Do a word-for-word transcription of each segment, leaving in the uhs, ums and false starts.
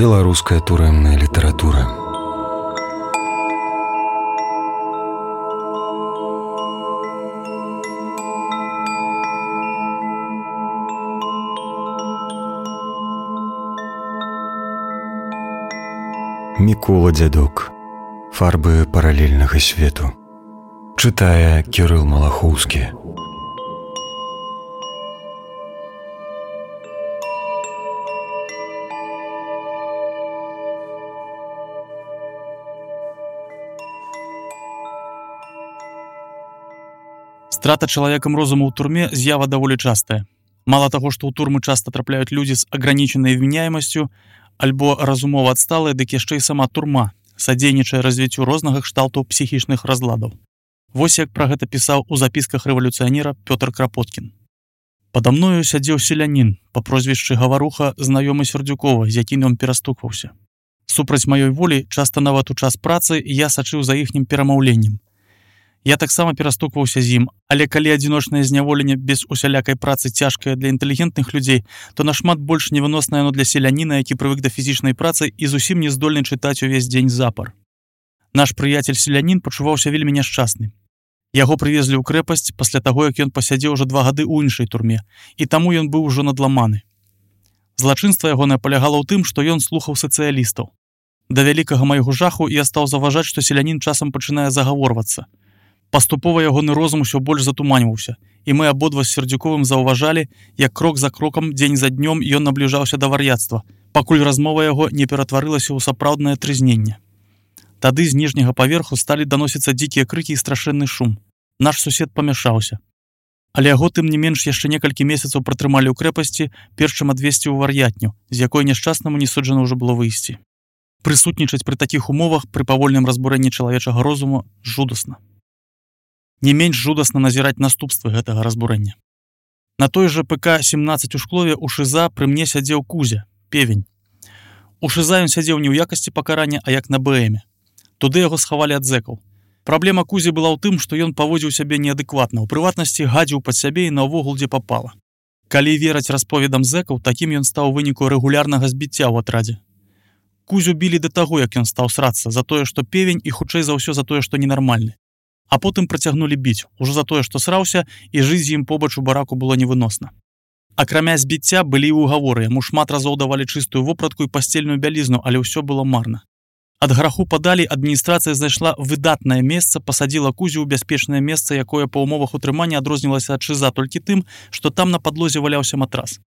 Беларуская турэмная літаратура. Мікола Дзядок. Фарбы паралельнага свету. Чытае Кірыл Малахоўскі. Страта чалавекам розуму ў турме з'ява даволі частая. Мала таго, што ў турмы часта трапляюць людзі з агранічанай вмяняемасцю альбо разумова адсталыя, дык яшчэ і сама турма садзейнічае развіццю рознага кшталту псіхічных разладаў. Вось як пра гэта пісаў у запісках рэвалюцыянера Пётр Крапоткін. Пада мною сядзеў селянін па прозвішчы Гаваруха, знаёмы Сердзюкова, з якім ён перастукваўся. Супраць маёй волі, часта нават у час працы, я сачыў за іхнім перамаўленнем. Я таксама перастукваўся з ім, але калі адзіночнае зняволенне без усялякай працы цяжкае для інтэлігентных людзей, то нашмат больш невыноснае оно для селяніна, які прывык да фізічнай працы і зусім не здольны чытаць увесь дзень запар. Наш прыяцель-селянін пачуваўся вельмі няшчасны. Яго прывезлі ў крэпасць пасля таго, як ён пасядзеў ужо два гады ў іншай турме, і таму ён быў ужо надламаны. Злачынства ягонае палягала ў тым, што ён слухаў сацыялістаў. Да вялікага майго жаху я стаў заўважаць, што селянін часам пачынае загаворвацца. Паступова ягоны розум усё больш затуманьваўся, і мы абодва з Сердзюковым заўважалі, як крок за крокам, дзень за днём ён набліжаўся да вар'яцтва, пакуль размова яго не ператварылася ў сапраўднае трызненне. Тады з ніжняга паверху сталі даносіцца дзікія крыкі і страшэнны шум. Наш сусед памяшаўся. Але яго тым не менш яшчэ некалькі месяцаў пратрымалі ў крэпасці, перш чым адвесці ў вар'ятню, з якой няшчаснаму не суджана ўжо было выйсці. Прысутнічаць пры такіх умовах пры павольным разбурэнні чалавечага розуму жудасна. Не менш жудасна назіраць наступствы гэтага разбурэння. На той жа ПК семнаццаць у Шклове у ШИЗа пры мне сядзеў Кузя, певень. У ШИЗа ён сядзеў не ў якасці пакарання, а як на БМе. Туды яго схавалі ад зэкаў. Праблема Кузі была ў тым, што ён паводзіў сябе неадэкватна, у прыватнасці гадзіў пад сябе і наогул дзе папала. Калі вераць расповедам зэкаў, такім ён стаў у выніку рэгулярнага збіцця ў атрадзе. Кузю білі да таго, як ён стаў срацца, за тое, што певень, і хутчэй за ўсё за тое, што ненармальны. А потым працягнулі біць, ужо за тое, што сраўся, і жыць з ім побач у бараку было невыносна. Акрамя збіцця былі і ўгаворы, яму шмат разоў давалі чыстую вопратку і пасцельную бялізну, але ўсё было марна. Ад граху падалі адміністрацыя знайшла выдатнае месца, пасадзіла Кузю ў бяспечнае месца, якое па ўмовах утрымання адрознілася ад ШИЗа толькі тым, што там на падлозе валяўся матрас.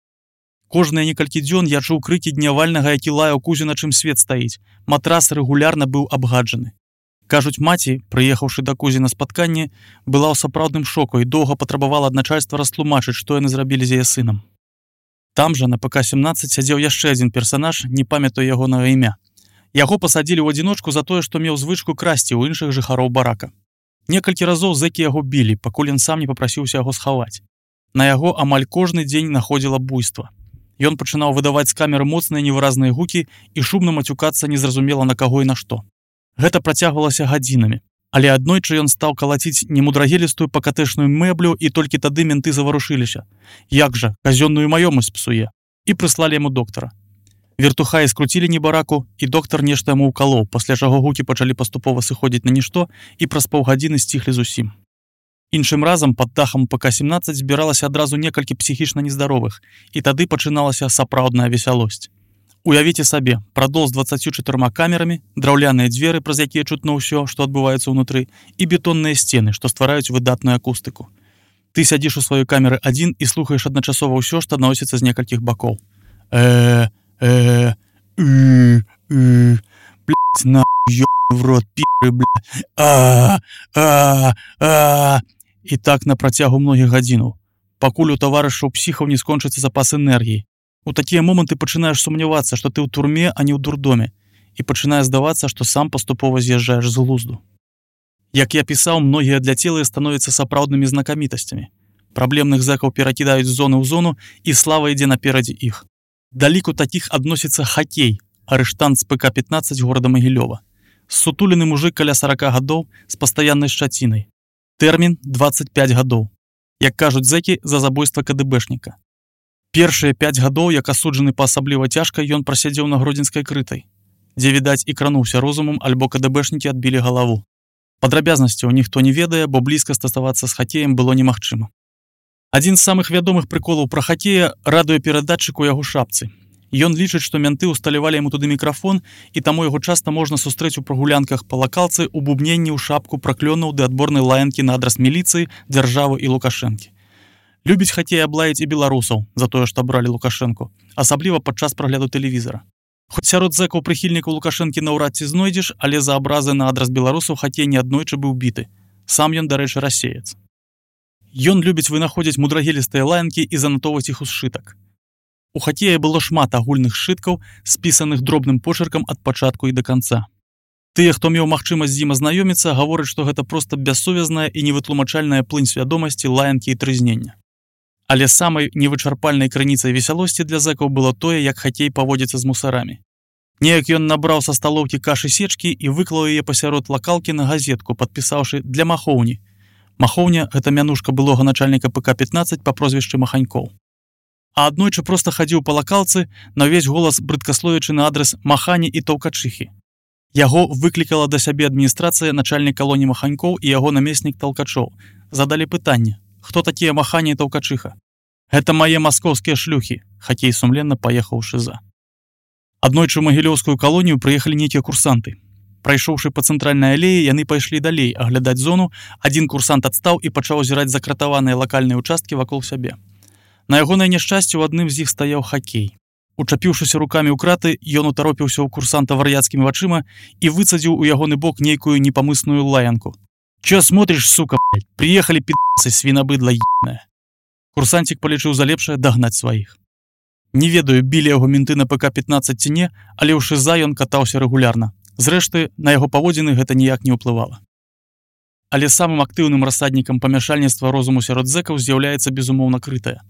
Кожныя некалькі дзён я чуў крыкі днявальнага, які лаяў Кузю, на чым свет стаіць. Матрас рэгулярна быў абгаджаны. Кажуць, маці, прыехаўшы да Кузі на спатканне, была ў сапраўдным шоку і доўга патрабавала ад начальства растлумачыць, што яны зрабілі з яе сынам. Там жа на ПК семнаццаць сядзеў яшчэ адзін персанаж, не памятаю ягонага імя. Яго пасадзілі ў адзіночку за тое, што меў звычку красці ў іншых жыхароў барака. Некалькі разоў зэкі яго білі, пакуль ён сам не папрасіўся яго схаваць. На яго амаль кожны дзень находзіла буйства. Ён пачынаў выдаваць з камеры моцныя невыразныя гукі і шумна мацюкацца незразумела на каго і на што. Гэта працягвалася гадзінамі, але аднойчы ён стаў калаціць немудрагелістую пакатэшную мэблю, і толькі тады менты заварушыліся. Як жа, казённую маёмасць псуе. І прыслалі яму доктара. Вертухаі скруцілі небараку, і доктар нешта яму ўкалоў, пасля чаго гукі пачалі паступова сыходзіць на нішто і праз паўгадзіны сціхлі зусім. Іншым разам пад дахам ПК семнаццаць збіралася адразу некалькі псіхічна нездаровых, і тады пачыналася сапраўдная весялосць. Уявіце сабе, прадол з дваццаццю чатырма камерамі, драўляныя дзверы, праз якія чутно ўсё, што адбываецца ўнутры, і бетонныя сцены, што ствараюць выдатную акустыку. Ты сядзіш у сваёй камеры адзін і слухаеш адначасова ўсё, што адносіцца з некалькіх бакоў. Э, э, э, э, блядь, на, ёбаный в рот, пи***ы, блядь, а, а, а, і так на працягу многіх гадзінаў, пакуль у таварышаў псіхаў не скончыцца запас энергіі. У такія моманты пачынаеш сумнявацца, што ты ў турме, а не ў дурдоме, і пачынае здавацца, што сам паступова з'язджаеш з глузду. Як я пісаў, многія адляцелыя становяцца сапраўднымі знакамітасцямі. Праблемных зэкаў перакідаюць з зоны ў зону, і слава ідзе наперадзе іх. Да ліку такіх адносіцца хакей, арыштант з ПК пятнаццаць горада Магілёва. Ссутулены мужык каля сарака гадоў з пастаяннай шчацінай. Тэрмін дваццаць пяць гадоў. Як кажуць зэкі, за забойства КДБшніка. Першыя пяць гадоў, як асуджаны па асабліва цяжка, ён прасядзеў на гродзенскай крытай, дзе, відаць, і крануўся розумам, альбо кадэбэшнікі адбілі галаву. Падрабязнасцяў ніхто не ведае, бо блізка стасавацца з хакеем было немагчыма. Адзін з самых вядомых прыколаў пра хакея – радыёперадатчык у яго шапцы. Ён лічыць, што мянты ўсталявалі яму туды мікрафон, і таму яго часта можна сустрэць у прагулянках па лакалцы у бубненні ў шапку праклёнаў ды адборнай лаянкі на адрас міліцыі, дзяржавы і Лукашэнкі. Любіць хакей аблаяць і беларусаў за тое, што абралі Лукашэнку, асабліва падчас прагляду тэлевізара. Хоць сярод зэкаў прыхільнікаў Лукашэнкі наўрад ці знойдзеш, але за абразы на адрас беларусаў хакей неаднойчы быў біты. Сам ён, дарэчы, расеец. Ён любіць вынаходзіць мудрагелістыя лаянкі і занатоўваць іх у сшытак. У хакея было шмат агульных сшыткаў, спісаных дробным почеркам ад пачатку і да канца. Тыя, хто меў магчымасць з ім азнаёміцца, гавораць, што гэта проста бессувязная і невытлумачальная плынь свядомасці, лаянкі і трызнення. Але самай невычарпальнай крыніцай весялосці для зэкаў было тое, як хакей паводзіцца з мусарамі. Неяк ён набраў са сталоўкі кашы сечкі і выклаў яе пасярод лакалкі на газетку, падпісаўшы «Для Махоўні». Махоўня – гэта мянушка былога начальніка пэ ка пятнаццаць па прозвішчы Маханькоў. А аднойчы проста хадзіў па лакалцы на ўвесь голас брыдкасловячы на адрас Махані і Таўкачыхі. Яго выклікала да сябе адміністрацыя, начальнік калоніі Маханькоў і яго намеснік Талкачоў. Задалі пытанне: хто такія Махані і Таўкачыха? Гэта мае маскоўскія шлюхі. Хакей сумленна паехаў у шыза. Аднойчы ў магілёўскую калонію прыехалі нейкія курсанты. Прайшоўшы па цэнтральнай алеі, яны пайшлі далей аглядаць зону. Адзін курсант адстаў і пачаў азіраць закратаваныя лакальныя ўчасткі вакол сябе. На ягонае няшчасце ў адным з іх стаяў хакей. Учапіўшыся рукамі ў краты, ён утаропіўся ў курсанта вар'яцкімі вачыма і выцадзіў у ягоны бок нейкую непамысную лаянку. «Чё смотришь, сука, блядь? Приехали пи***цы, свинобыдло ебаное!» Курсантик полічыў за лепшае дагнаць сваіх. Не ведаю, білі яго менты на пэ ка пятнаццаць ці не, але ў шыза ён катаўся рэгулярна. Зрэшты, на яго паводзіны гэта ніяк не ўплывала. Але самым актыўным рассаднікам памяшальніцтва розуму сярод зэкаў з'яўляецца безумоўна крытая.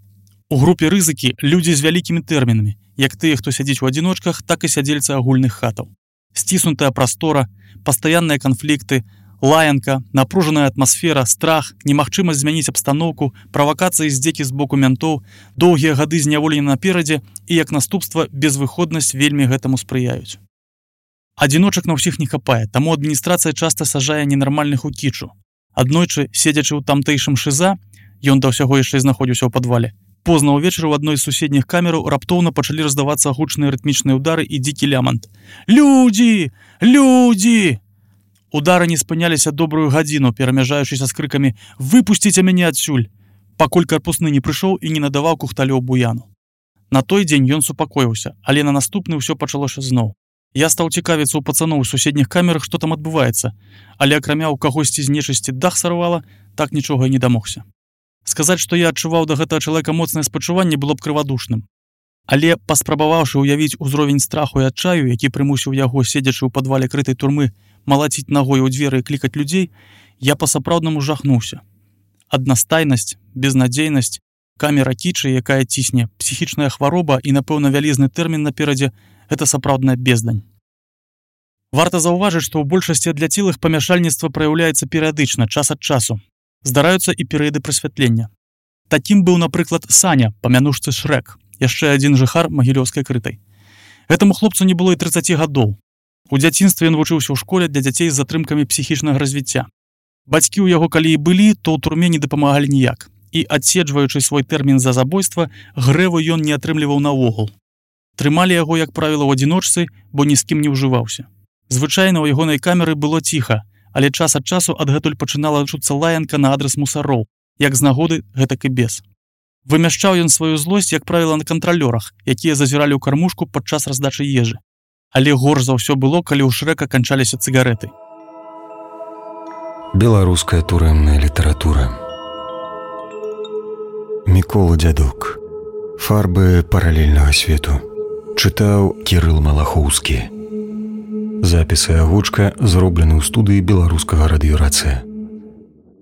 У групе рызыкі людзі з вялікімі тэрмінамі, як тыя, хто сядзіць у адзіночках, так і сядзельцы агульных хатаў. Сціснутая прастора, пастаянныя канфлікты, лаянка, напружаная атмасфера, страх, немагчымасць змяніць абстаноўку, правакацыі здзекі з боку мянтоў, доўгія гады зняволення наперадзе і, як наступства, безвыходнасць вельмі гэтаму спрыяюць. Адзіночак на ўсіх не хапае, таму адміністрацыя часта сажае ненармальных у кічу. Аднойчы, седзячы ў тамтэйшым шыза, ён да ўсяго яшчэ знаходзіўся ў падвале, позна ўвечары ў адной з суседніх камераў раптоўна пачалі раздавацца гучныя рытмічныя ўдары і дзікі лямант. «Людзі! Людзі!» Удары не спыняліся добрую гадзіну, перамяжаючыся з крыкамі «Выпусціце мяне адсюль!», пакуль карпусны не прыйшоў і не надаваў кухталёў буяну. На той дзень ён супакоіўся, але на наступны ўсё пачалося зноў. Я стаў цікавіцца ў пацаноў у суседніх камерах, што там адбываецца, але акрамя ў кагосьці з нечысці дах сарвала, так нічога і не дамогся. Сказаць, што я адчуваў да гэтага чалавека моцнае спачуванне, было б крывадушным. Але, паспрабаваўшы ўявіць узровень страху і адчаю, які прымусіў яго, седзячы ў падвале крытай турмы, малаціць нагой у дзверы і клікаць людзей, я па-сапраўднаму жахнуўся. Аднастайнасць, безнадзейнасць, камера кічы, якая цісне, псіхічная хвароба і, напэўна, вялізны тэрмін наперадзе – гэта сапраўдная бездань. Варта заўважыць, што ў большасці адляцелых памяшальніцтва праяўляецца перыядычна, час ад часу. Здараюцца і перыяды прасвятлення. Такім быў, напрыклад, Саня, па мянушцы Шрэк, яшчэ адзін жыхар магілёўскай крытай. Гэтаму хлопцу не было і трыццаці гадоў. У дзяцінстве ён вучыўся ў школе для дзяцей з затрымкамі псіхічнага развіцця. Бацькі ў яго калі і былі, то ў турме не дапамагалі ніяк. І, адседжваючы свой тэрмін за забойства, грэву ён не атрымліваў наогул. Трымалі яго, як правіла, ў адзіночцы, бо ні з кім не ўжываўся. Звычайна ў ягонай камеры было ціха, але час ад часу адгэтуль пачынала чуцца лаянка на адрас мусароў, як з нагоды, гэтак і без. Вымяшчаў ён сваю злосць, як правіла, на кантралёрах, якія зазіралі ў кармушку падчас раздачы ежы. Але горш за ўсё было, калі ў Шрэка канчаліся цыгарэты. Беларуская турэмная літаратура. Мікола Дзядок. Фарбы паралельнага свету. Чытаў Кірыл Малахоўскі. Запісы агучка зроблены ў студыі беларускага радыёрацыя.